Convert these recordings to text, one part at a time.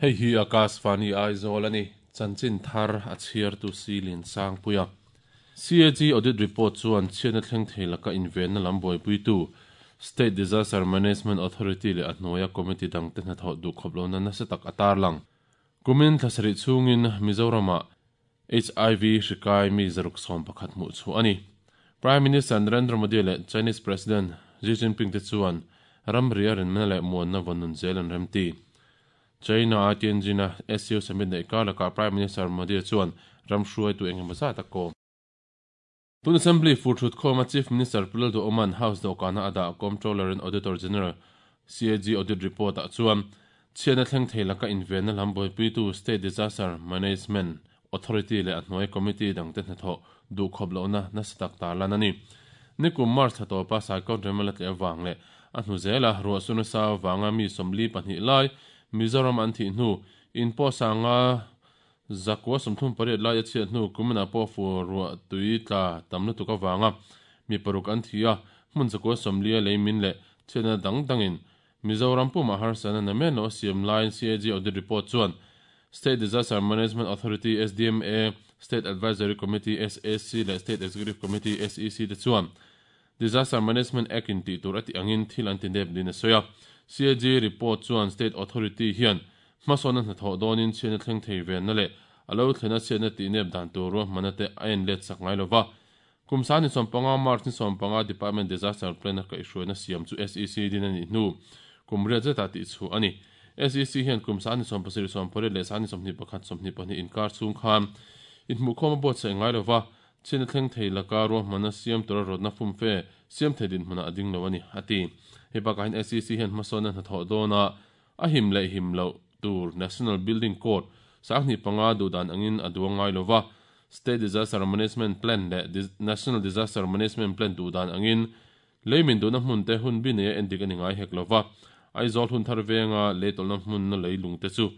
Hei hi Akashvani Aizawl a ni. Chanchin thar a chhiartu Silin Sangpuia. CAG Audit Report chuan chhiatna thleng thei laka invenna lam buaipuitu State Disaster Management Authority leh a hnuaia committee dangte hnathawh duhkhawp lohna nasa tak a tarlang. Kumin thla sarih chhungin Mizoramah HIV hri kai mi 611 hmuh chhuah a ni. Prime Minister Narendra Modi leh Chinese President Xi Jinping te chuan ramri a rinna leh muanna vawn nun zel an remti. China-a Tianjin-a SCO Summit neih kar lakah Prime Minister Modi chuan ram hruaitu eng emaw zat a kawm. Tun Assembly fur thut khawma Chief Minister Pu Lalduhoma'n House dawhkana a dah Comptroller and Auditor General, CAG, Audit Report-ah chuan chhiatna thleng thei laka invenna lam buaipuitu State Disaster Management Authority leh a hnuai committee dangte hnathawh duhkhawp lohna nasa tak tarlan a ni. Nikum March thla tawpa Saikawt rem a la tleh avang leh a hnu zela ruahsur nasa avanga mi 42 lai Mizoram an thih hnu in pawh sanga 938 lai a chhiat hnu kuminah pawh fur ruah tui tla tam lutuk avanga mi paruk an thi a, hmun 140 a lei min leh chhiatna dang dangin Mizoram pumah harsatna na men lo a siam laiin CAG Audit Report chuan State Disaster Management Authority, SDMA, State Advisory Committee, SAC, leh State Executive Committee, SEC, te chuan Disaster Management Act in tih tur a tih angin thil an ti nep niin a sawi a. CAG report chuan State Authority hian hmasawnna hnathawh dawnin chhiatna thleng thei venna leh a lo thlena chhiatna tih nep dan tur ruahmanna te a en let sak ngai lova. Kum 2015 March ni 15 Department Disaster Plan a kaihhruaina siam chu SEC din a nih hnu kum riat zetah tih chhuah a ni. SEC hian kum 2007 80 leh 2021 22 inkar chhung khan inhmuhkhawm a buatsaih ngai lova, Chhiatna thleng thei laka ruahmanna siam tura rawtna fumfe siam thei dinhmunah a ding lo a ni, a ti. Hei bakah hian SEC hian hmasawnna hnathawh dawna a him leh him loh tur National Building Code 2005 duhdan angin a duang ngai lo va, State Disaster Management Plan leh National Disaster Management Plan duhdan angin lei min duhna hmun te hun bi neia endik a ni ngai hek lo va. Aizawl hun thar venga lei tawlhna hmunna leilung te chu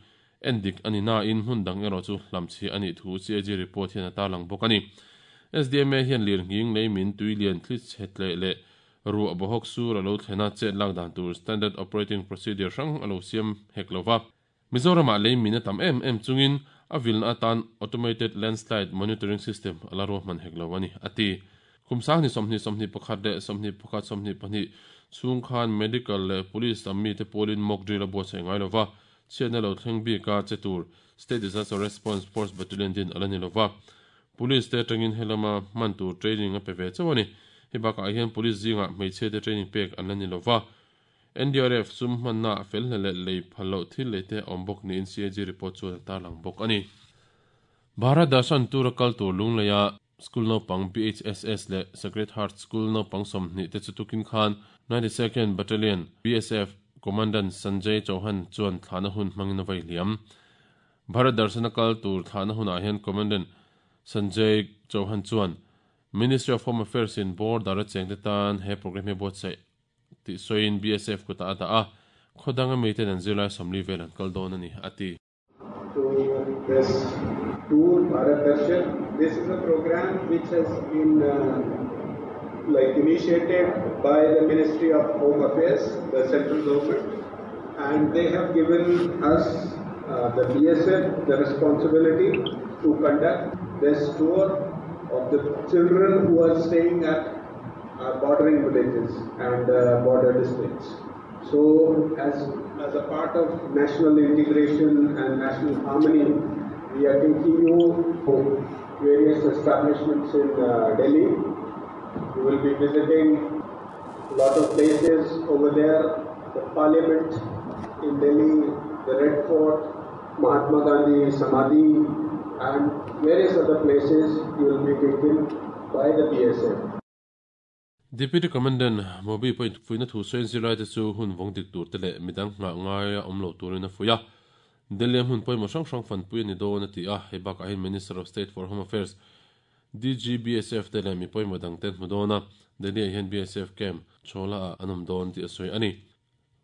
Endik a ni nain hmun dang erawh chu hlamchhiah a nih thu CAG report hian a tarlang bawk a ni. SDMA hian lirnghing, leimin, tuilian, thli chhe tleh leh ruah bawhawk sur a lo thlen a, chet lak dan tur Standard Operating Procedure hrang a lo siam hek lo va. Mizoramah leimin a tam em em chungin a vilna atan Automated Landslide Monitoring System a la ruahman hek lo a ni, a ti. Kum 2020 21 leh 21 22 chhung khan Medical leh Police lam mite pawlin mock drill a buatsaih ngai lo va, Chhiatna lo thleng bik a che tur State Disaster Response Force Battalion din a la ni lova, Police te atangin helama hman tur training a pe ve chauh a ni. Hei bakah hian Police zingah hmeichhia te training pek an la ni lova, NDRF sum hmanna ah fel hle leh lei phal loh thil lei te a awm bawk niin CAG report chuan a tarlang bawk a ni. Bharat Darshan tura kal tur Lungleia School naupang BHSS leh Sacred Heart School naupang 20 te chu tukin khan 92nd Battalion BSF Commandant Sanjay Chauhan chuan thlahna hun hmangin a vai hliam. Bharat Darshan a kal tur thlahna hunah hian Commandant Sanjay Chauhan chuan Ministry of Home Affairs in border a chengte tan he programme hi a buatsaih tih sawiin BSF kutah a dah a, khaw danga miten an zirlai 40 vel an kal dawn a ni, a ti. To this tour Bharat Darshan. This is a program which has been like initiated by the Ministry of Home Affairs, the central government, and they have given us the BSF the responsibility to conduct this tour of the children who are staying at bordering villages and border districts. So as a part of national integration and national harmony, we are taking you to various establishments in Delhi. You will be visiting a lot of places over there, the Parliament in Delhi, the Red Fort, Mahatma Gandhi Samadhi, and various other places you will be taken by the BSF. Deputy Commandant Mobi pawhin fuihna thu sawiin zirlaite chu hun vawng dik tur te leh midang nghah ngaia awm lo turin a fuih a. Delhi a hmun pawimawh hrang hrang fanpui a ni dawn a ti a, hei bakah hian Minister of State for Home Affairs, DGBSF te leh mi pawimawh dang te an hmu dawn a, Delhi ah hian BSF camp Chhawla ah an awm dawn tih a sawi a ni.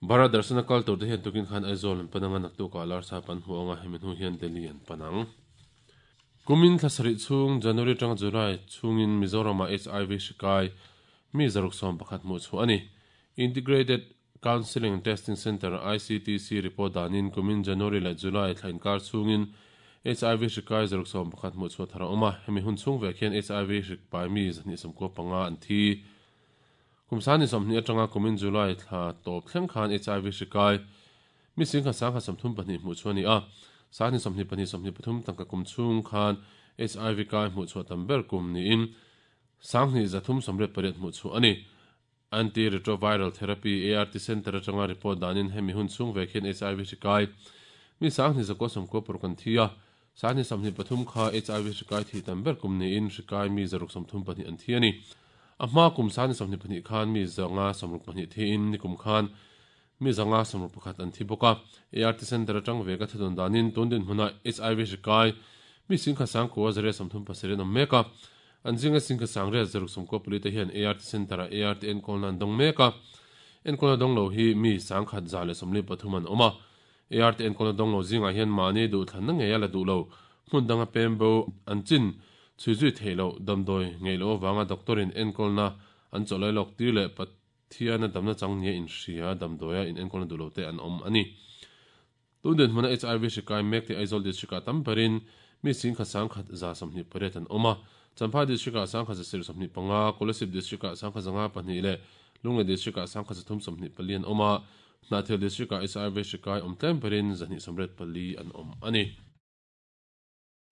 Bharat Darshan a kal tur te hian tukin khan Aizawl an pan ang a, naktukah Larsap an hmu ang a, hemi hnu hian Delhi an pan ang. Kumin thla sarih chhung, January atanga July chhungin Mizoramah HIV hri kai mi 611 hmuh chhuah a ni. Integrated Counselling and Testing Centre, ICTC, report danin kumin January leh July thla inkar chhungin HIV hri kai 111 hmuh chhuah thar a awm a, hemi hun chhung vek hian HIV hri pai mi 295 an thi. Kum 20 atanga kumin July thla tawp thleng khan HIV hri kai mi 10,132 hmuh chhuah a ni a, 2022 23 tangka kum chhung khan HIV kai hmuh chhuah tam ber kum niin 2388 hmuh chhuah a ni. Anti-Retroviral Therapy, ART, Centre atanga report danin hemi hun chhung vek hian HIV hri kai mi 2996 an thi a, 2023 kha HIV hri kai thih tam ber kum niin hri kai mi 632 an thi a ni. A hma kum 2022 khan mi 562 thiin nikum khan mi 561 an thi bawk a. ART Centre atang veka thudawn danin tun dinhmunah HIV hri kai mi 10,937 an awm mek a. An zinga 10,894 te hian ART Centre-ah ART enkawlna an dawng mek a. Enkawlna dawng lo hi mi 1,143 an awm a. ART enkawlna dawng lo zingah hian mahni duhthlanna ngeia la duh lo, hmun danga pem bo an chin chhui zui theih loh, damdawi ngeih loh avanga doctor-in enkawlna an chawlh lawk tir leh Pathiana damna chang nia inhria damdawia in enkawlna duh lo te an awm a ni. Tun dinhmuna HIV hri kai mek tih Aizawl District-ah tam berin mi 11,128 an awm a, Champhai District-ah 1,125, Kolasib District-ah 1,502 leh Lunglei District-ah 1,324 an awm a, Hnahthial District-ah HIV hri kai awm tlem berin 284 an awm a ni.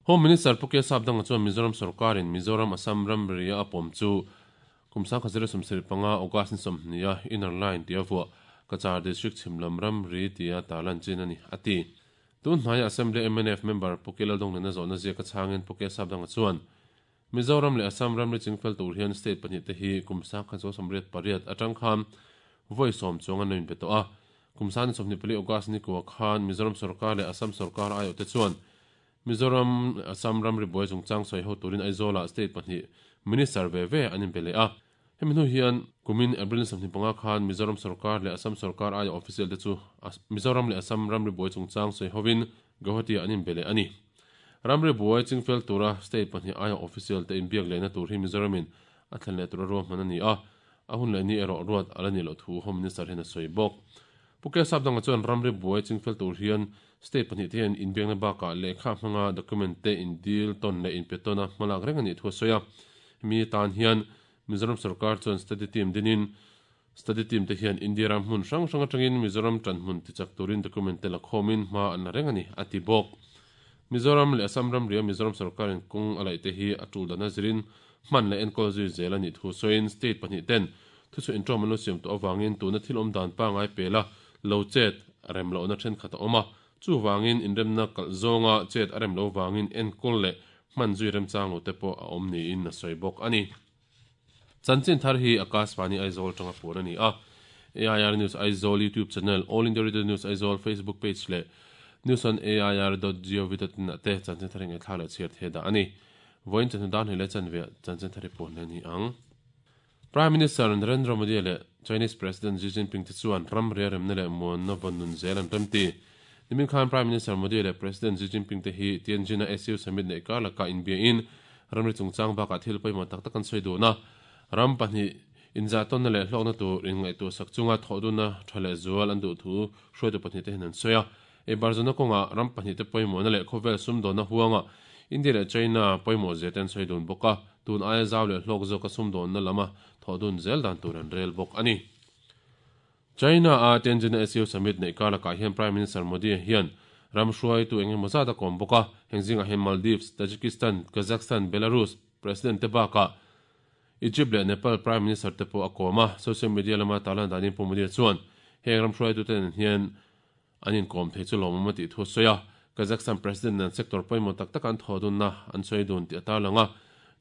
Home Minister Pu K Sapdanga chuan Mizoram sorkarin Mizoram Assam ramria a pawm chu kum 1075 August ni 20 a Inner Line tia vuah Cachar District chhim lam ramri tia tarlan chin a ni, a ti. Tun hnaia Assembly mnf member Pu K Laldonglena zawhna ziaka chhangin Pu K Sapdanga chuan Mizoram leh Assam ramri chingfel tur hian state pahnihte hi kum 1988 atang khan vawi sawm chuang an lo inpe tawh a. Kum 24 August ni kua khan Mizoram sorkar leh Assam sorkar aiawhte chuan Mizoram leh Assam ramri buai chungchang sawi ho turin Aizawlah state pahnih minister ve ve an inpe leh a. Hemi hnu hian kumin April ni 25 khan Mizoram sorkar leh Assam sorkar aia official te chu Mizoram leh Assam ramri buai chungchang sawi hovin Guwahati-ah an inpe leh a ni. Ramri buai chingfel tura state pahnih aia official te inbiak lehna tur hi Mizoramin a thlen leh tura ruahman a ni a, a hun leh ni erawh ruat a la nih loh thu Home Minister hian a sawi bawk. Pu Kesap dangah chuan ramri buai chingfel tur hian state pahnih te hian inbiakna bakah lehkha hmanga document te indil tawn leh inpe tawna hmalak reng a nih thu a sawi a. Hemi tan hian Mizoram sorkar chuan study team dinin study team te hian India ram hmun hrang hrang atangin Mizoram tanhmun tichak turin document te la khawmin hma an la reng a ni, a ti bawk. Mizoram leh Assam ramria Mizoram sorkarin kawng a laih te hi a tul dan a zirin hman leh enkawl zui zel a nih thu sawiin state pahnih ten Thuchhuah inṭawm an lo siam tawh avangin tuna thil awm dan pangngai pela lo chet rem lohna thenkhat a awm a, chuvangin inremna kalh zawnga chet a rem lo vangin enkawl leh hman zui remchang lo te pawh a awm niin a sawi bawk a ni. Chanchin thar hi Akashvani Aizawl atanga puan a ni a, AIR News Aizawl YouTube channel, All India Radio News Aizawl Facebook page leh News on AIR dot gov dot in ah te chanchin thar hi ngaihthlak leh chhiar thei dah a ni. Vawiin chawhnu dan hlei leh chanve ah chanchin thar hi puan leh a ni ang. Prime Minister Narendra Modi leh Chinese President Xi Jinping te chuan ram riaremna leh muanna vawn nun zel an remti. Nimin khan Prime Minister Modi leh President Xi Jinping te hi Tianjin-a SU Summit neih kar lakah inbiain ramri chungchang bakah thil pawimawh tak tak an sawi dun a. Ram pahnih inzahtawnna leh hlawkna tur inngaihtuahsak chunga thawhdunna tha leh zual an duh thu hruaitu pahnih te hian an sawi a. Eibarzawna kawngah ram pahnihte pawimawhna leh khawvel sumdawnna huangah India leh China pawimawh zia te an sawi dun bawk a, tun aia zau leh hlawk zawka sumdawnna lama thawh dun zel dan tur an rel bawk a ni. China-a Tianjin-a SU Summit neih kar lakah hian Prime Minister Modi hian ram hruaitu eng emaw zat a kawm bawk a, heng zingah hian Maldives, Tajikistan, Kazakhstan, Belarus President te bakah Egypt leh Nepal Prime Minister te pawh a kawm a, social media lama tarlan danin Pu Modi chuan heng ram hruaitute nen hian An inkawm thei chu lawmawm a tih thu a sawi a, Kazakhstan President nen sector pawimawh tak taka an thawh dunna an sawi dun tih a tarlang a.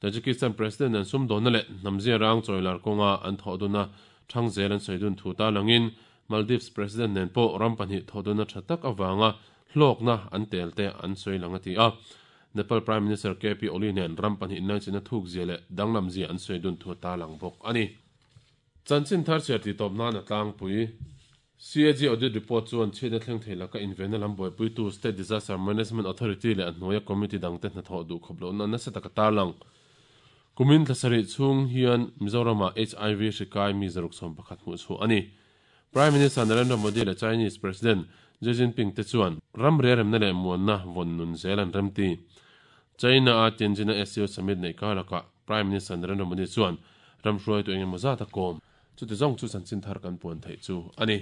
Tajikistan President nen sumdawnna leh hnamzia rang chawilar kawnga an thawh dunna thang zel an sawi dun thu tarlangin Maldives President nen pawh ram pahnih thawh dunna tha tak avanga hlawkna an tel te an sawi lang a ti a. Nepal Prime Minister KP Oli nen ram pahnih inlaichinna thukzia leh danglamzia an sawi dun thu a tarlang bawk a ni. Chanchin thar chhiar tih tawp nan a tlangpui. CAG Audit Report chuan chhiatna thleng thei laka invenna lam buaipuitu State Disaster Management Authority leh a hnuaia committee dangte hnathawh duh khawp lohna nasa taka tarlang. Kumin thla sarih chhung hian Mizoramah HIV hri kai mi 611 hmuh chhuah a ni. Prime Minister Narendra Modi leh Chinese President Xi Jinping te chuan ramri a remna leh muanna vawn nun zel an remti. China-a Tianjin-a SCO Summit neih kar lakah Prime Minister Narendra Modi chuan ram hruaitu eng emaw zat a kawm. Chuti zawng chu chanchin thar kan puan theih chu a ni.